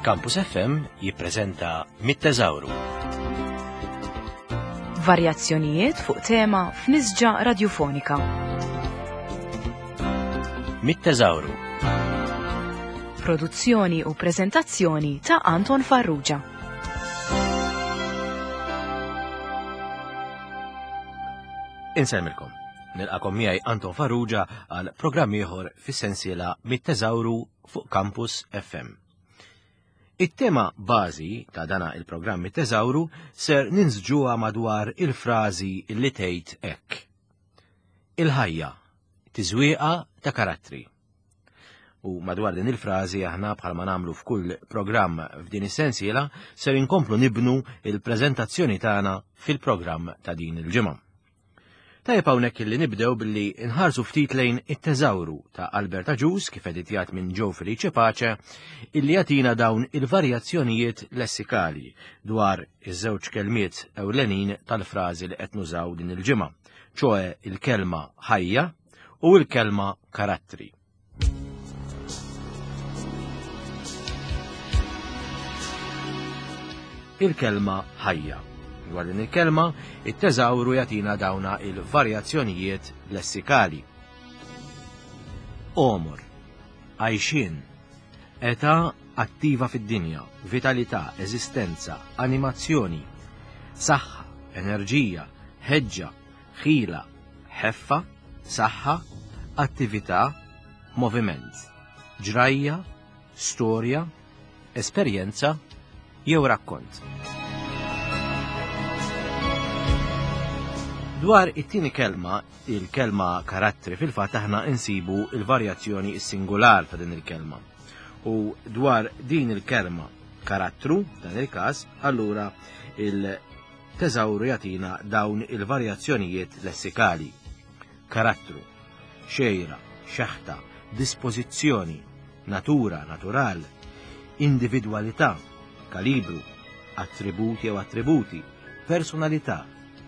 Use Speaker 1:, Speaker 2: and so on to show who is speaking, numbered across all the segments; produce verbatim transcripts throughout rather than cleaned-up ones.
Speaker 1: Campus F M jippreżenta Mit-Teżawru.
Speaker 2: Varjazzjonijiet fuq tema f'nisġa radiofonika.
Speaker 1: Mit-Teżawru.
Speaker 2: Produzzjoni u preżentazzjoni ta' Anton Farrugia.
Speaker 1: Insellmilkom. Nilqakom miegħi Anton Farrugia għal programm ieħor fis-sensiela Mit-Teżawru fuq Campus F M. It-tema bażi ta' dana il-programm Mit-Teżawru ser ninsġuha madwar il-frażi li tgħid hekk. Il-ħajja, tiżwieqa ta' karattri. U madwar din il-frażi aħna bħalma nagħmlu f'kull programm f'din is-sensiela ser inkomplu nibnu il-preżentazzjoni tagħna fil-programm ta' din il-ġimgħa. Tajjeb hawnhekk illi nibdew billi nħarsu ftit lejn it-teżawru ta' Albert Agius kif editjat minn Joe Felice Pace illi jagħtina dawn il-varjazzjonijiet lessikali dwar iż-żewġ kelmiet ewlenin tal-frażi li qed nużaw din il-ġimgħa, ċoe il-kelma ħajja u l-kelma karattri. Il-kelma ħajja. Dwar din il-kelma, it-teżawru jagħtina dawna il-varjazzjonijiet lessikali. Omor, għajxin, età attiva fid-dinja, vitalità, eżistenza, animazzjoni, saħħa, enerġija, ħeġġa, ħila, ħeffa, saħħa, attività, moviment, ġrajja, storja, esperjenza jew rakkont. Dwar it-tieni kelma, il-kelma karattri, fil-fatt aħna insibu il-varjazzjoni singular ta' din il-kelma. U dwar din il-kelma karattru, dan il-każ, allura il-teżawru jagħtina dawn il-varjazzjonijiet lessikali. Karattru, xejra, xeħta, dispożizzjoni, natura, natural, individwalità, kalibru, attributi jew attributi, personalità,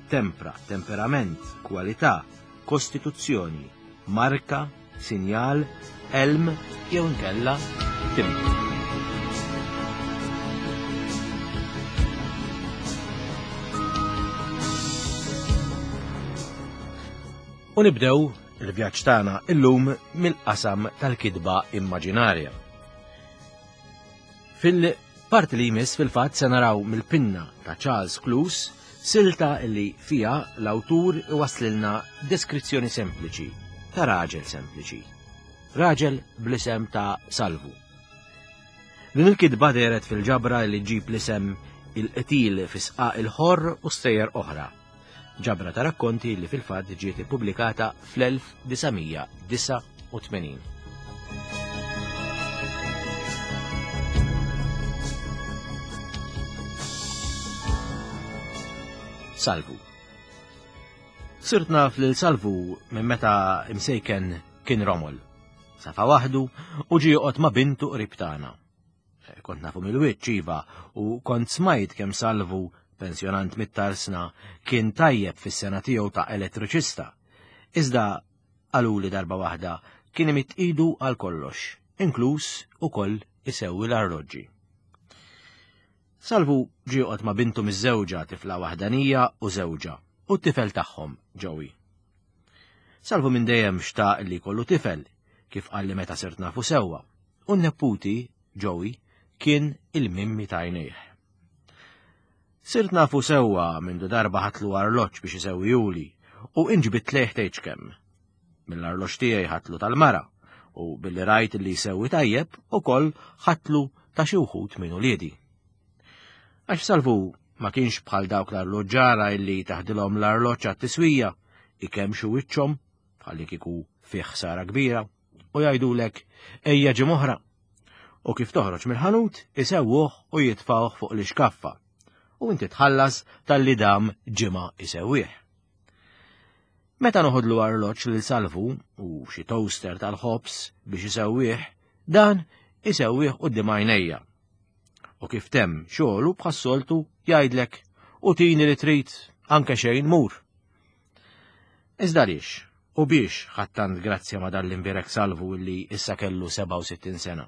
Speaker 1: tempra, temperament, kwalità, kostituzzjoni, marka, sinjal, elm jew inkella timbru. U nibdew il-vjaġġ tagħna illum mill-qasam tal-kidba immaġinarja. Fil-parti li jmiss fil-fatt se naraw mill-pinna ta' Charles Cluse silta li fija l-awtur iwaslilna deskrizzjoni sempliċi ta' raġel sempliċi, raġel bl-isem ta' Salvu. Din il-kidba dehret fil-ġabra li ġib l-isem il-qtil fi sqaq il-ħorr u stejjer oħra, ġabra ta' rakkonti li fil-fatt ġiet ippubblikata fl-elf disa' disa' u tmenin. Salvu. Sirt naf lil Salvu minn meta imsejken kien romol. Safa waħdu u ġie joqgħod ma' bintu qrib tagħna. Kont nafu mill-wiċċ iva u kont smajt kemm Salvu, pensjonant mit-tarsna, kien tajjeb fis-sena tiegħu ta' elettriċista. Iżda qaluli darba waħda kien imidd idu għal kollox, inkluż ukoll isewwi l-arloġġi. Salvu ġie joqgħod ma' bintu miż-żewġa, tifla waħdanija u żewġa, u t-tifel tagħhom, Joey. Salvu minn dejjem xtaq li jkollu tifel, kif qalli meta sirt nafu sewwa, u n-neputi, Joey, kien il-mimmi ta' għajnejh. Sirt nafu sewwa mindu darba ħatlu arloġġ biex isewwijuli u inġbit lejh tgħidx kemm. Mill-arloġġ tiegħi ħatlu tal-mara u billi rajt li jsewwi tajjeb ukoll ħatlu ta' xi wħud minn uliedi. Għax Salvu ma kienx bħal dawk l-arloġġara illi taħdilhom l-arloġġ għat-tiswija, ikemxu wiċċhom bħalli kieku fih ħsara kbira u jgħidulek ejja ġim oħra. U kif toħroġ mill-ħanut isewwuh u jitfgħuh fuq l-ixkaffa. U inti tħallas tal-li dam ġimgħa isewwih. Meta noħodlu arloġġ lil Salvu u xi toaster tal-ħobż biex isewwih, dan isewwih quddiem għajnejja. U kif temm xogħlu bħas-soltu jgħidlek u tini li trid anke xejn mur. Iżda għaliex u biex ħadd tant grazzja ma' dan l-imbierek Salvu illi issa kellu seba' u sittin sena.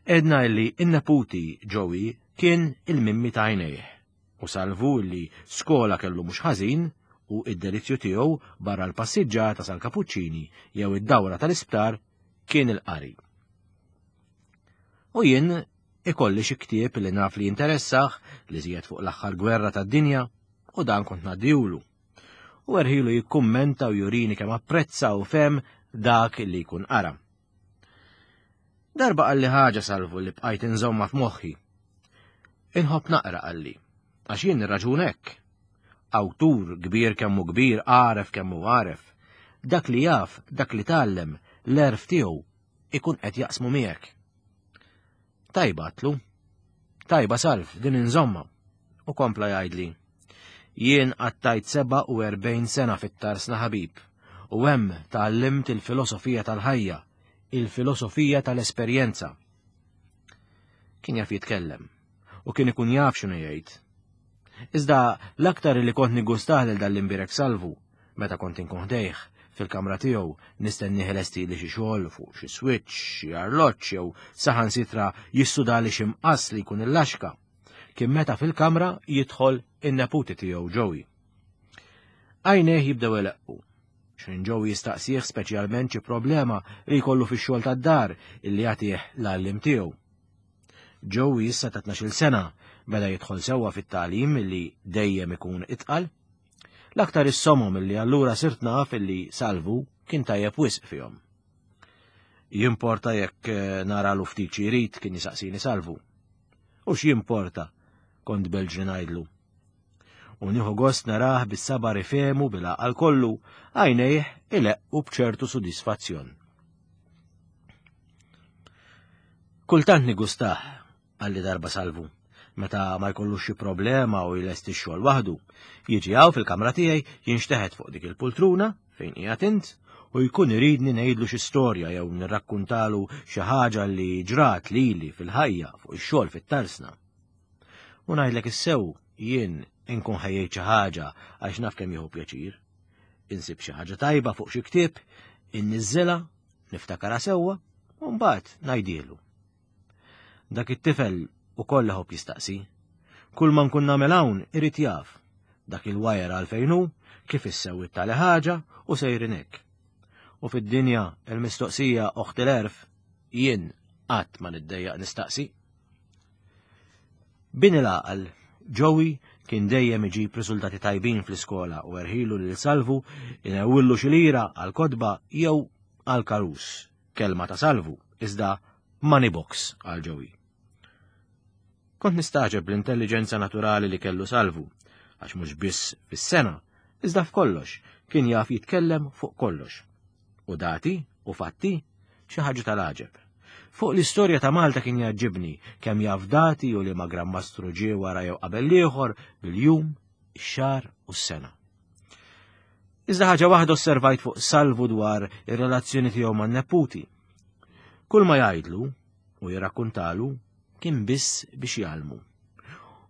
Speaker 1: Għedna illi in-neputi Joey kien il-mimmi ta' għajnejh u Salvu li skola kellu mhux ħażin u id-delizzju tiegħu barra l-passiġġata sal-Kapuċċini jew id-dawra tal-isptar kien il-qari. U jien ikolli xi ktieb li naf li jinteressah li żjed fuq l-aħħar gwerra tad-dinja u dan kont ngħaddihulu. U erħilu jikkummenta u jurini kemm apprezza u fem dak li jkun qara. Darba qalli ħaġa Salvu li bqajt inżomma f'moħħi. Inħobb naqra qalli, għax jien nirraġun hekk. Awtur kbir kemm hu kbir, għaref kemm hu għaref. Dak li jaf, dak li tgħallem, l-għerf tiegħu ikun qed jaqsmu miegħek. Tajba għatlu. Tajba Salv, din inżomma. U kompla jgħidli. Jien qattajt seba' u erbgħin sena fit-tarsna ħabib, u hemm tgħallimt il-filosofija tal-ħajja, il-filosofija tal-esperjenza. Kien jaf jitkellem, u kien ikun jaf x'inhu jgħid. Iżda l-aktar li kont nigustah lil dal-imbirek Salvu, meta kont inkun ħdejh fil-kamra tiegħu nistenni lesti li xi xogħol fuq xi switch, xi arloġġ jew saħansitra jissudali xi mqass li jkun il-laxka. Kien meta fil-kamra jidħol in-neputi tiegħu Joey. Għajnejh jibdew eleqqu. X'in Joey jistaqsih speċjalment xi problema li jkollu fix-xogħol tad-dar illi jagħtih l-għallim tiegħu. Joey issa ta' tnax-il sena beda jidħol sewwa fit-tagħlim illi dejjem ikun itqal. L-aktar is-somom illi allura sirt naf illi Salvu kien tajjeb wisq fihom. Jimporta jekk naralu ftit xi jrid kien jisaqsini Salvu. U x'jimporta kont belġri ngħidlu. U nieħu gost narah bis-sabar ifehmu bil-għaqal kollu, għajnejh ileqqu b'ċertu sodisfazzjon. Kultant nigustah, qalli darba Salvu, meta ma jkollux xi problema u jlesti x-xogħol waħdu, jiġi hawn fil-kamra tiegħi jinxteħet fuq dik il-pultruna fejn qiegħed int u jkun iridni ngħidlu xi storja jew nirrakkuntalu xi ħaġa li ġrat lili fil-ħajja fuq ix-xogħol fit-tarsna. U ngħidlek issew jien inkun ħejjejt xi ħaġa għax naf kemm jieħu pjaċir. Insib xi ħaġa tajba fuq xi ktieb, inniżżilha, niftakarha sewwa u mbagħad ngħidielu. Dak it-tifel ukoll iħobb jistaqsi. Kull ma nkun nagħmel hawn irid jaf. Dak il-wajer għalfejn hu, kif issewwi tali ħaġa u sejrin hekk. U fid-dinja il-mistoqsija oħt il-għerf jien qatt ma niddejjaq nistaqsi. Bin il-għaqal, Joey kien dejjem iġib riżultati tajbin fl-iskola u erħilu lil Salvu inewwillu xi lira għal kotba jew għal karus, kelma ta' Salvu, iżda money box għal Joey. Kont nistaġeb l-intelligenza naturali li kellu Salvu, għax mhux biss fis-sena, iżda f'kollox, kien jaf jitkellem fuq kollox. U dati u fatti xi ħaġa tal-għaġeb. Fuq l-istorja ta' Malta kien jaġġibni kemm jaf dati u li ma' Gran Mastru ġie wara jew qabel ieħor bil-jum, ix-xahar u s-sena. Iżda ħaġa waħda osservajt fuq Salvu dwar ir-relazzjoni tiegħu man-neputi. Kull ma jgħidlu u jirrakkuntalu kien biss biex jgħallmu.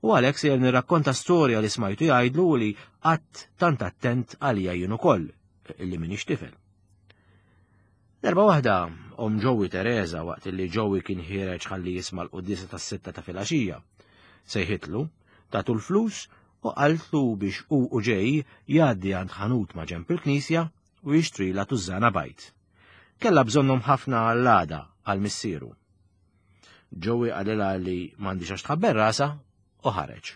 Speaker 1: U għalhekk sejjer nirrakkonta storja li smajtu jgħidlu u li qatt tant attent għalija jien ukoll illi m'iniex tifel. Darba waħda om Joey Teresa waqt li Joey kien ħiereġ ħalli jisma' l-quddiesa tas-sitta ta' filgħaxija. Sejħitlu, tatu l-flus u qaltlu biex hu u ġej jgħaddi għand ħanut ma' ġenb il-knisja u jixtrila tużżana bajt. Kellha bżonnhom ħafna għall-għada għal missieru. Joey qalilha li m'għandix għax tħabber rasha u ħareġ.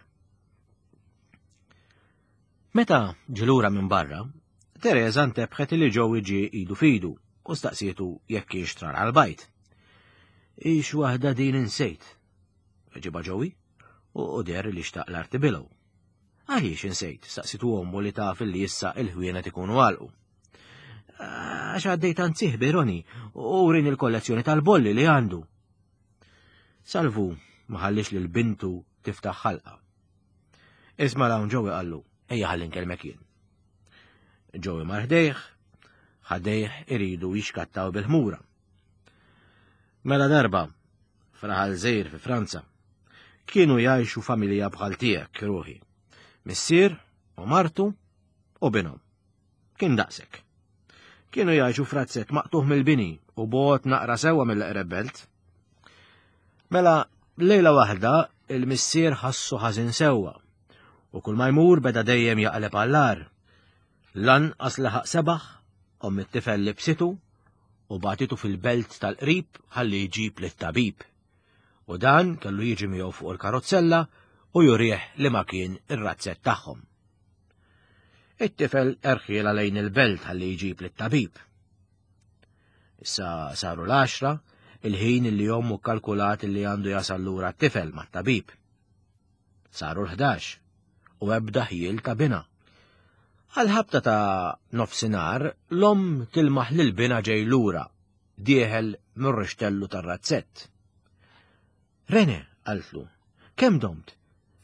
Speaker 1: Meta ġilura minn barra, Teresa ntebħet li Joey ġie idu fidu u staqsietu jekk kienx trar għal-bajt. Ix waħda din insejt, ġiba Joey, u der li xtaq l-arti bilgħu. Għaliex insejt, staqsitu ommu li taf li issa il-ħwienet ikunu għalqu. Għax għaddejt għand sieħbi Roni u rin il-kollezzjoni tal-bolli li għandu. Salvu ma ħallix lil bintu tiftaħ ħalqa. Isma' hawn Joey qallu, ejja ħalli nkellmek jien. Joey mar ħdejh, ħadejh iridu jixkattaw bil-ħmura. Mela darba, fraħal żgħir fi Franza, kienu jgħixu familja bħal tiegħek ruħi. Missier u martu u binhom. Kien daqsek. Kienu jgħixu frazzett maqtuħ mill-bini u bot naqra sewwa mill-eqreb belt. Mela, lejla waħda il-missier ħassu ħażin sewwa u kull ma jmur beda dejjem jaqleb għall-agħar. Lanqas laħaq sebaħ, omm it-tifel libsitu u bagħtitu fil-belt tal-qrib ħalli jġib lit-tabib. U dan kellu jiġi miegħu fuq il-karozzella u jurih li ma kien ir-razzett tagħhom. It-tifel erħiela lejn il-belt ħalli jġib lit-tabib. Issa saru l-għaxra, il-ħin li ommu kkalkulat li għandu jasal lura t-tifel mat-tabib. Saru l-ħdax u ebda ħjiel ta' bina. Għal-ħabta ta' nofsinhar, l-omm tilmaħ lil bina ġej lura, dieħel mir-rixtellu tar-razzett. Rene, qaltlu, kemm domt?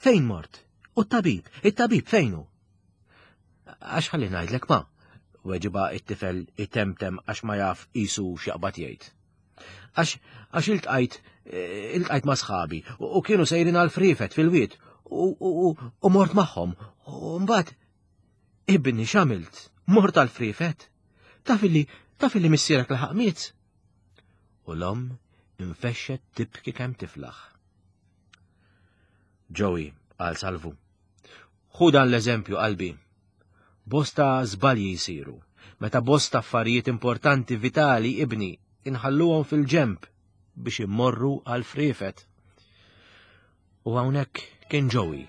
Speaker 1: Fejn mort? U t-tabib, it-tabib fejnu? Għax ħalli ngħidlek ma, weġiba it-tifel itemtem għax ma jaf qisu x'jaqbad jgħid. Għax għax iltqajt iltqajt ma' sħabi u kienu sejrin għal frifet fil-wied u, u, u mort magħhom u mbagħad ibni x'għamilt? Mort għal frifet? Taf illi taf illi missierek laħaq miet? U l-omm infexxet tibki kemm tiflaħ. Joey, qal Salvu, ħu dan l-eżempju qalbi. Bosta żbalji jsiru, meta bosta affarijiet importanti vitali ibni inħalluhom fil-ġemp biex immorru għal frifet. U hawnhekk kien Joey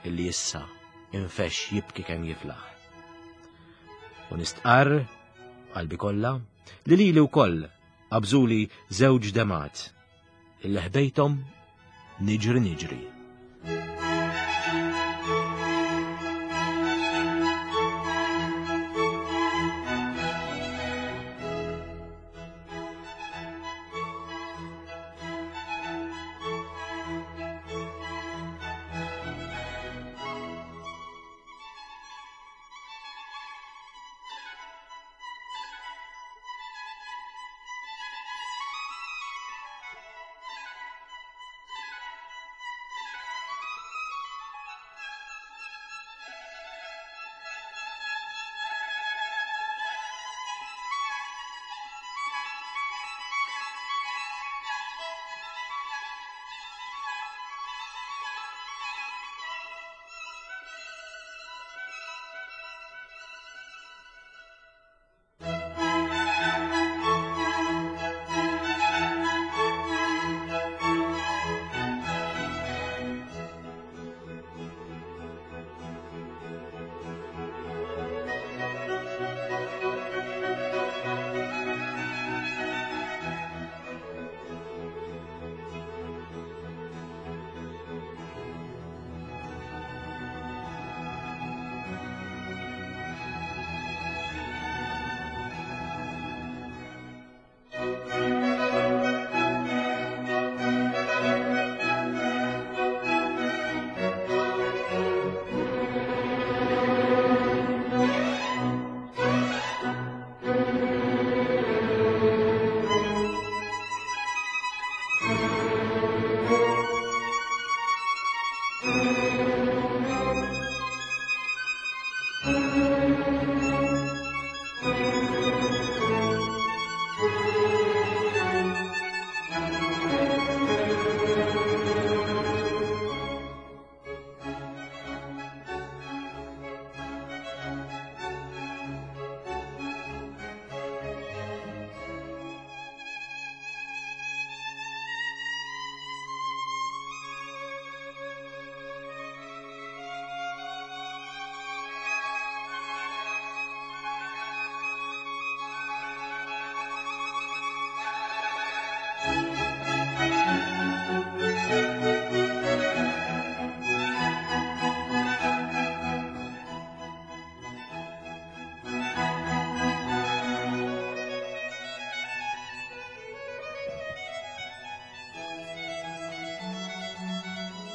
Speaker 1: illi issa infexx jibki kemm jiflaħ. U nistqarr qalbi kollha li lili wkoll qabżuli żewġ demat illi ħbejthom niġri niġri.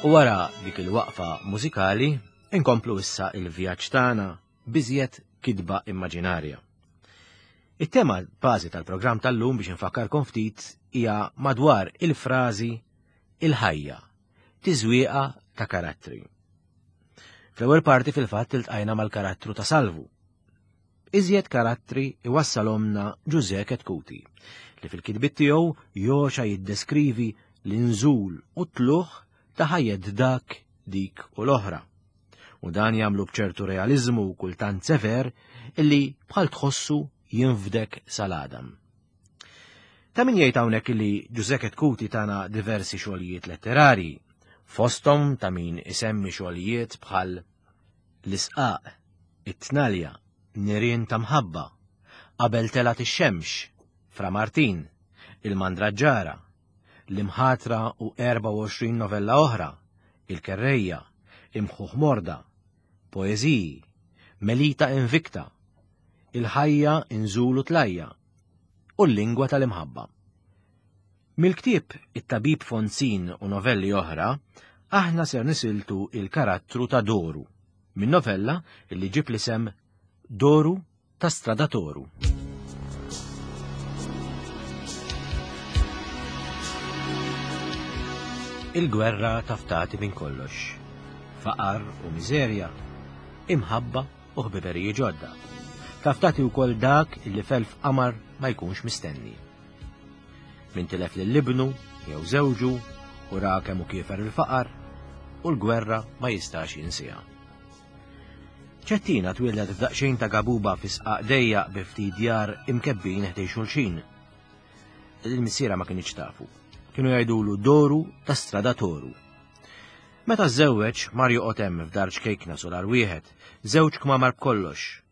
Speaker 1: U wara dik il-waqfa mużikali, inkomplu issa il-vjaġġ tagħna biżjed kitba immaġinarja. It-tema bażi tal-programm tal-lum biex infakkarkom ftit hija madwar il-frażi il-ħajja, tiżwieqa ta' karattri. Fl-ewwel parti fil-fatt iltqajna mal-karattru ta' Salvu. Iżjed karattri iwassalhomna Ġużè Chetcuti, li fil-kitbiet tiegħu joxa jiddeskrivi l-inżul u t-tluħ ta' ħajjet dak, dik u l-oħra. U dan jagħmlu b'ċertu realiżmu u kultant sever illi bħal tħossu jinfdek sal-għadam. Ta' min jgħid hawnhekk illi Ġużè Chetcuti tana diversi xogħlijiet letterarji, fosthom ta' min isemmi xogħlijiet bħal L-Isqaq, It-Tnalja, Nirien ta' Mħabba, Qabel Telgħet ix-Xemx, Fra Martin, Il-Mandraġġara, L-Imħatra u erbgħa u għoxrin novella oħra, Il-Kerrejja, Imħuħ Morda, Poeżiji, Melita Invicta, Il-Ħajja Inżul u Tlajja, u l-Lingwa tal-Imħabba. Mill-ktieb It-Tabib Fonzin u novelli oħra, aħna ser nisiltu il-karattru ta' Doru, minn novella li ġib l-isem Doru ta' Stradatoru. Il-gwerra taftati minn kollox. Faqar u miżerja, imħabba u ħbiberiji ġodda. Taftati wkoll dak li felf qamar ma jkunx mistenni. Min tilef lil ibnu jew żewġu u ra kemm hu kiefer il-faqar u l-gwerra ma jistax jinsiha. Ċettina twieldet f'daqsxejn ta' gabuba fi sqaq dejjaq bi ftit djar imkebbin ħdej xulxin. Il-missiera ma kienx tafu. Kienu jgħidulu Doru ta' Stradatoru. Meta żżewweġ mar joqgħod hemm f'dar ċkejkna solar wieħed, żewġ kmamar b'kollox,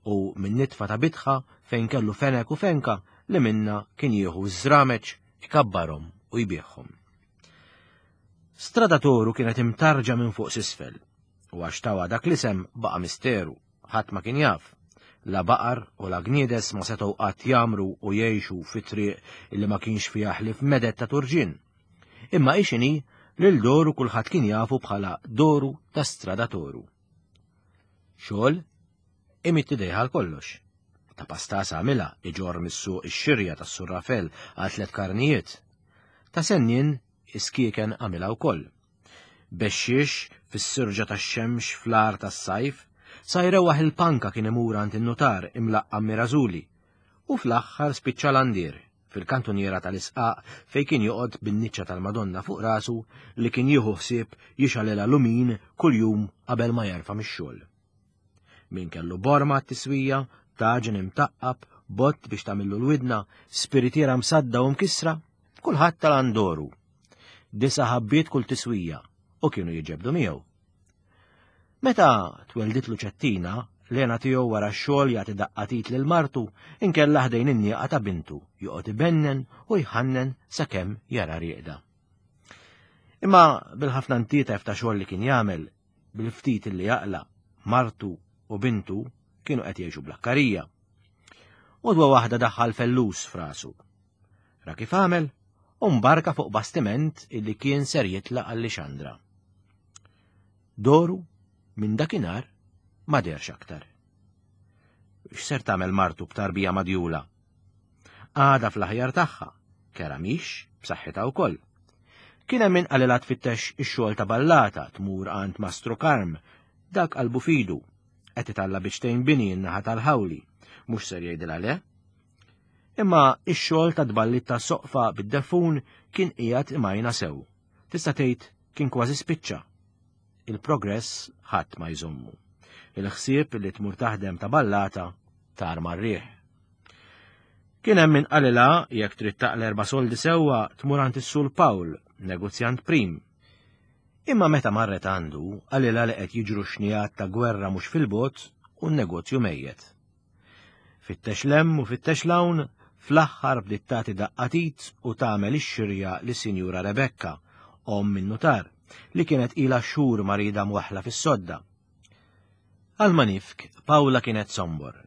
Speaker 1: u minn nitfa ta' bitħa fejn kellu fenek u fenka li minna kien jieħu ż-żrameċ, ikabbarhom u jbieħhom. Stradatoru kienet imtarġa minn fuq s'isfel, u għax tawa dak l-isem baqa' misteru, ħadd ma kien jaf. La baqar u la gniedes ma setgħu qatt jagħmru u jgħixu fi triq illi ma kienx fiha ħlief medet ta' turġien. Imma ixini lil Doru kulħadd kien jafu bħala Doru ta' Stradatoru. Xogħol imitt idejha għal kollox. Ta' pastasa għamilha iġorr mis-suq ix-xirja tas-Sur Rafel għal tliet karnijiet. Ta' sennien iskieken għamilha wkoll. Bexxiex fis-sirġa tax-xemx fl-ar tas-sajf, sa jrewwaħ il-panka kien imur għand in-nutar imlaqqam Mirażuli, u fl-aħħar spiċċa l-andier fil-kantuniera tal-isqaq fejn kien joqgħod bin-niċċa tal-Madonna fuq rasu li kien jieħu ħsieb jixgħalilha lumin kuljum qabel ma jerfa' mix-xogħol. Min kellu borma t-tiswija, taġen imtaqqab, bott biex tagħmillu l-widna, spiritiera msadda u mkissra, kulħadd tal-andoru. Disa ħabbiet kull tiswija u kienu jiġebdu miegħu. Meta twelditlu Ċettina, l-għena tiegħu wara x-xogħol jagħti daqqatit lil martu inkella ħdejn in-nieqa ta' bintu, joqgħod ibennen u jħannen sakemm jara rieqda. Imma bil-ħafna ntietef ta' xogħol li kien jagħmel, bil-ftit li jaqla, martu u bintu kienu qed jgħixu bl-akkarija. Għodwa waħda daħħal fellus f'rasu. Ra kif għamel u mbarka fuq bastiment illi kien ser jitlaq għal Lixandra. Doru minn dakinhar ma derx aktar. X'ser tagħmel martu b'tarbija madjula? Għada fl-aħjar tagħha, kera mhix b'saħħitha wkoll. Kien hemm min qalilha tfittex ix-xogħol ta' ballata tmur għand Mastru Karm, dak qalbu fidu, qed italla biċtejn bini n-naħa tal-ħawli, mhux ser jgħidilha le. Imma ix-xogħol ta' tballit ta' soqfa bid-defun kien qiegħed imajna sew. Tista' tgħid kien kważi spiċċa. Il-progress ħadd ma jżommu. Il-ħsieb li tmur taħdem ta' ballata tar mar-riħ. Kien hemm min qalilha jekk trid taqla erba' soldi sewwa tmur għand is-Sur Pawl, negozjant prim. Imma meta marret għandu, qalilha li qed jiġru xnijat ta' gwerra mhux fil-bogħod u n-negozju mejjet. Fittex l-hemm u fittex l-hawn, fl-aħħar bdiet tagħti daqqatit u tagħmel ix-xirja lis-Sinjura Rebecca, omm in-nutar, li kienet ilha xhur marida mwaħħla fis-sodda. Għal manifk, Pawla kienet sombor,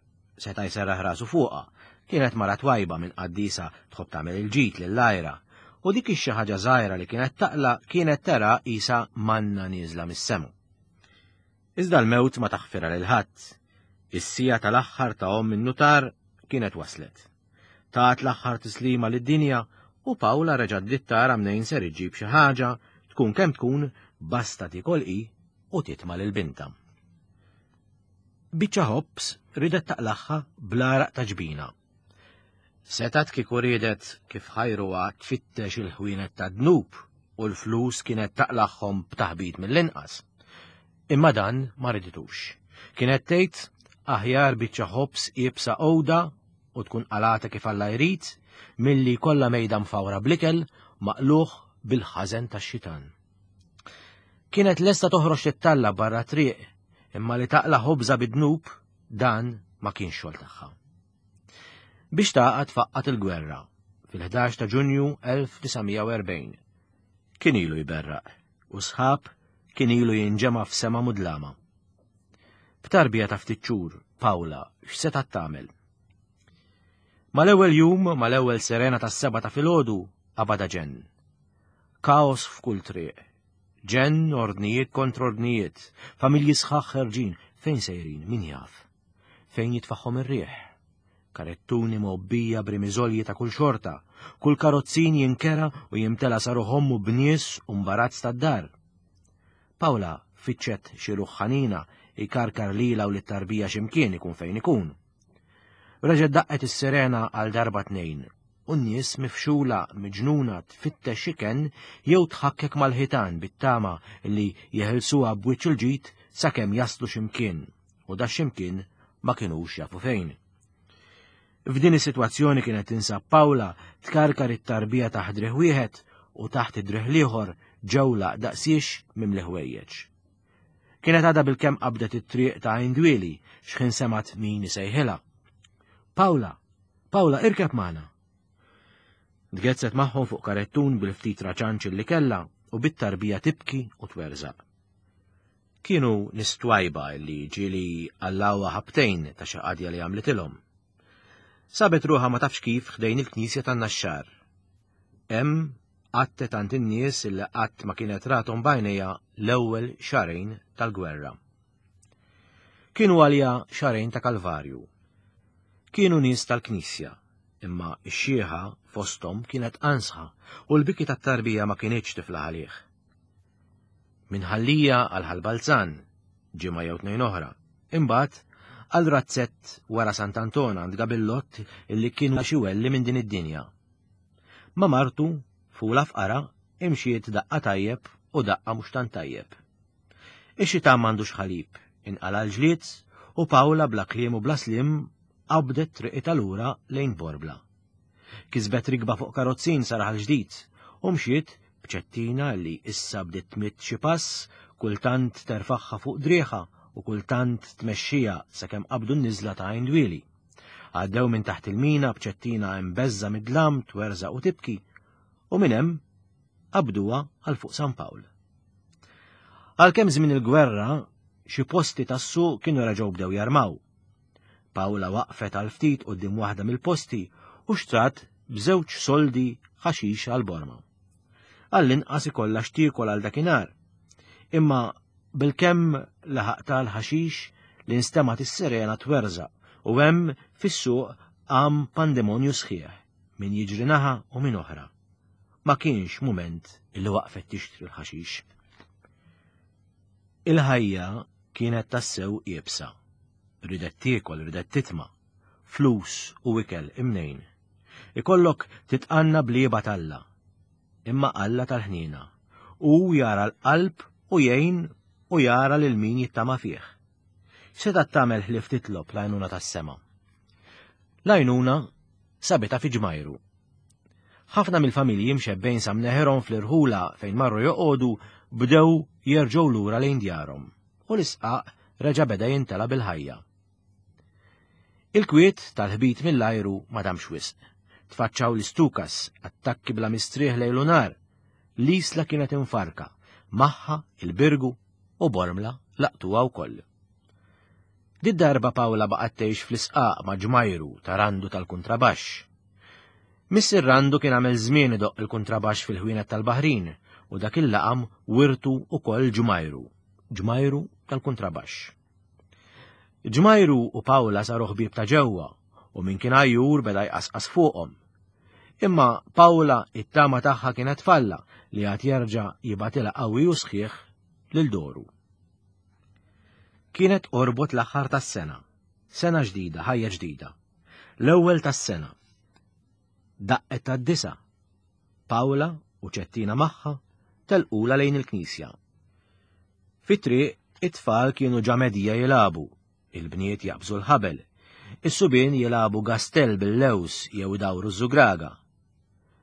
Speaker 1: seta' jserraħ rasu fuqha, kienet mara twajba minn qaddisa tħobb tagħmel il-ġid lill-ajra, u dik ix-xi ħaġa żgħira li kienet taqla kienet tara qisha manna nieżla mis-sema. Iżda l-mewt ma taħfirha lil ħadd. Is-sija tal-aħħar ta' omm in-nutar kienet waslet. Tat l-aħħar tislima lid-dinja u Pawla reġgħet bdiet tara mnejn ser iġġib xi ħaġa tkun kemm tkun basta tikol hi u titma' lil binta. Biċċa ħobż ridet taqlaħħa bl-għaraq ta' ġbina. Setgħet kieku riedet kif ħajruha tfittex il-ħwienet ta' dnub u l-flus kienet taqlagħhom b'taħbit mill-inqas. Imma dan ma riditux. Kienet tgħid aħjar biċċa ħobż iebsa għoda u tkun qalata kif Alla jrid milli kollha mejda mfawra bl-ikel maqluħ bil-ħażen tax-xitan. Kienet lesta toħroġ tittalla barra triq imma li taqla ħobża bid-dnub dan ma kienx xogħol tagħha. Biex taqgħad faqqat il-gwerra fil-ħdax ta' Ġunju elf disa' mija u erbgħin. Kien ilu jberraq u sħab kien ilu jinġema' f'sema mudlama. B'tarbija ta' ftit xhur, Pawla x'setgħet tagħmel? Mal-ewwel jum, mal-ewwel sirena tas-seba' ta' filgħodu, qabadha ġenn. Kaos f'kull triq. Ġenn, ordnijiet kontra ordnijiet, familji sħaħ ħerġin, fejn sejrin, min jaf? Fejn jitfaħħom ir-riħ? Karettuni mgħobbija b'rimiżolji ta' kull xorta, kull karozzin jinkera u jimtela saru ħommu b'nies u mbarazz tad-dar. Pawla fittxet xi ruħ ħanina ikarkar lila u lit-tarbija x'imkien ikun fejn ikun. Reġgħet daqqet is-sirena għal darba tnejn, u n-nies mifxula miġnuna tfittex xi kenn jew tħakkek mal-ħitan bit-tama li jeħilsuha b'wiċċ il-ġid sakemm jaslu x'imkien, u da x'imkien ma kinux jafu fejn. F'din is-sitwazzjoni kienet tinsab Pawla tkarkar it-tarbija taħt driħ wieħed u taħt id-driħ l-ieħor ġewla daqsiex mimli ħwejjeġ. Kienet għadha bilkemm qabdet it-triq ta' Għajn Dwieli x'ħin semgħet min isejħilha. Pawla, Pawla, irkeb magħna. Tgezzet magħhom fuq karettun bil-ftit raċanċ li kellha u bit-tarbija tibki u twerżaq. Kienu nies twajba li ġieli allawha ħabtejn ta' xi qadja li għamlitilhom. Sabet ruħha ma tafx kif ħdejn il-knisja tan-Naxxar. Hemm qattet għand in-nies illi qatt ma kienet rathom b'għajnejha l-ewwel xahrejn tal-gwerra. Kienu għalija xahrejn ta' Kalvarju. Kienu nies tal-knisja, imma x-xieħa fosthom kienet ansħa u l-biki tat-tarbija ma kinitx tiflaħ għalih. Minħallija għal Ħal Balzan, ġimgħa jew tnejn oħra, imbagħad għal razzett wara Sant'Anton għand Gabillott illi kienu xi welli minn din id-dinja. Ma martu, fula fqara, imxiet daqqa tajjeb u daqqa mhux tant tajjeb. Ix-xita m'għandux ħalib, inqala l-ġlied u Pawla bla kliem u bla slim qabdet triqitha lura lejn Borbla. Kisbet rikba fuq karozzin sa raħal ġdid u mxiet b'ċettina li issa bdiet tmidd xi pass, kultant terfaħħa fuq drieħa u kultant tmexxija sakemm qabdu n-niżla ta' Għajn Dwieli. Għaddew minn taħt il-mina b'ċettina imbeżża mid-dlam twerżaq u tibki u minn hemm qabduha għal fuq San Pawl. Għalkemm żmien il-gwerra xi posti tas-suq kienu reġgħu bdew jarmaw. Pawla waqfet għal ftit quddiem waħda mill-posti u xtrat b'żewġ soldi ħaxix għal borma. Għall-inqas ikollha x'tiekol għal dakinhar. Imma bilkemm laħaq tal-ħaxix li nstemat is-sirena twerżaq u hemm fis-suq qam pandemonju sħiħ min jiġri naħa u min oħra. Ma kienx mument illi waqfet tixtri l-ħaxix. Il-ħajja kienet tassew iebsa. Ridet tiekol, ridet titma', flus u ikel imnejn. Ikollok titqanna blieba t'Alla, imma Alla tal-ħniena. U jara l-qalb u jgħin u jara lil min jittama fih. Setgħet tagħmel ħlief titlob l-għajnuna tas-sema. L-għajnuna sabitha fi ġmajru. Ħafna mill-familji mxebbejn sa mneħirhom fl-irħula fejn marru joqogħdu bdew jerġgħu lura lejn djarhom u l-isqaq reġa' beda jintela bil-ħajja. Il-kwiet tal-ħbit mill-ajru ma damx wisq. Tfaċċaw l-istukas, attakki bla mistrieħ lejl u nar. L-isla kienet infarka, magħha il-Birgu u Bormla laqtuha wkoll. Did darba Pawla baqgħet tgħix fl-isqaq ma' ġmajru ta' Randu tal-kuntrabaxx. Missier Randu kien għamel żmien idoqq il-kuntrabaxx fil-ħwienet tal-Baħrin u dak il-laqam wirtu ukoll ġmajru, ġmajru tal-kuntrabaxx. Ġmajru u Pawla saru ħbieb ta' ġewwa u min kien għajjur beda jqasqas fuqhom. Imma Pawla it-tama tagħha kienet falla li għad jerġa' jibatilha qawwi u sħiħ lil Doru. Kienet qorbot l-aħħar tas-sena, sena ġdida, ħajja ġdida. L-ewwel tas-sena. Daqqet tad-disa. Pawla u Ċettina magħha telqula lejn il-knisja. Fit-triq it-tfal kienu ġa medija jilagħbu, il-bniet jaqbżu l-ħabel, is-subien jilagħbu gastell bil-lews jew idawru ż-żugraga.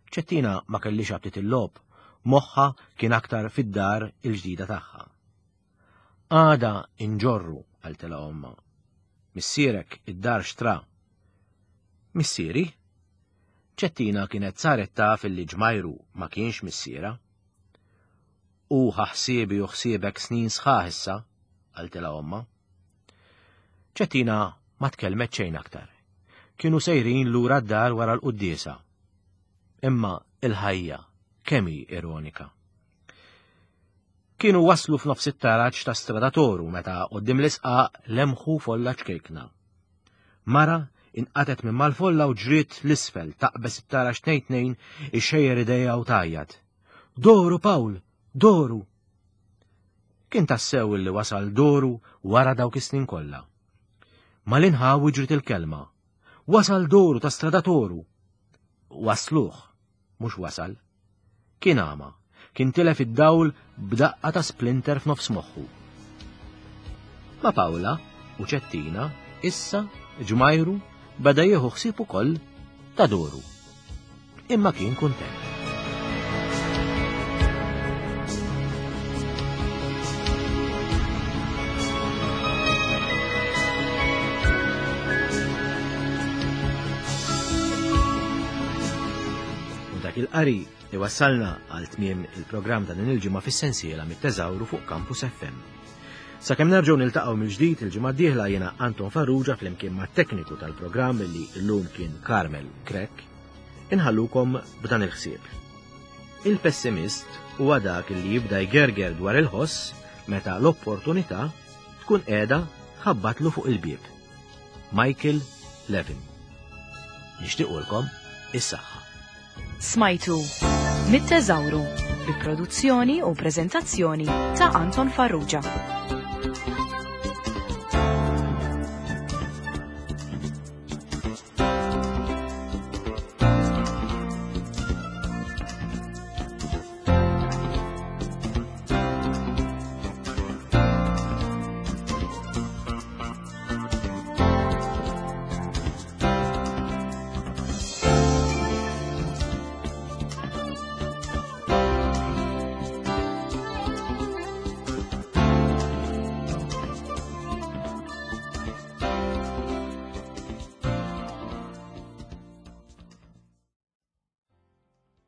Speaker 1: Ċettina ma kellix aptit il-logħob, moħħa kien aktar fid-dar il-ġdida tagħha. Għada inġorru, qaltilha ommha. Missierek id-dar xtra. Missieri? Ċettina kienet saret taf illi ġmajru ma kienx missiera. U ħsibi u ħsiebek snin sħaħ issa, qaltilha ommha. Ċettina ma tkellmet xejn aktar. Kienu sejrin lura d-dar wara l-quddiesa. Imma il-ħajja kemm hi ironika. Kienu waslu f'nofs it-taraġ ta' Strada Toru meta quddiem l-isqaq lemħu folla ċkejkna. Mara inqatet minn mal-folla u ġriet l-isfel taqbeż it-taraġ tnejn tnejn ixxejjer idejha u tgħajjat. Doru Pawl, Doru! Kien tassew illi wasal Doru wara dawk is-snin kollha. Mal-inħawi ġriet il-kelma. Wasal Doru ta' Strada Toru. Wasluh, mhux wasal. Kien għama, kien tilef id-dawl b'daqqa ta' splinter f'nofs moħħu. Ma' Pawla u Ċettina issa ġmajru beda jieħu ħsieb ukoll ta' Doru. Imma kien kuntent. U dak il-qari iwassalna għal tmiem il-programm ta' din il-ġimgħa fis-sensiela mit-teżawru fuq Campus F M. Sakemm nerġgħu niltaqgħu mill-ġdid il-ġimgħa d-dieħla, jiena Anton Farrugia flimkien mat-tekniku tal-programm li llum kien Carmel Krek, inħallukom b'dan il-ħsieb. Il-pessimist huwa dak li jibda jgerger dwar il-ħoss meta l-opportunità tkun qiegħda ħabbatlu fuq il-bieb. Michael Levin. Nixtiequlkom is-saħħa.
Speaker 2: Smajtu Mit-Teżawru bi produzzjoni u preżentazzjoni ta' Anton Farrugia.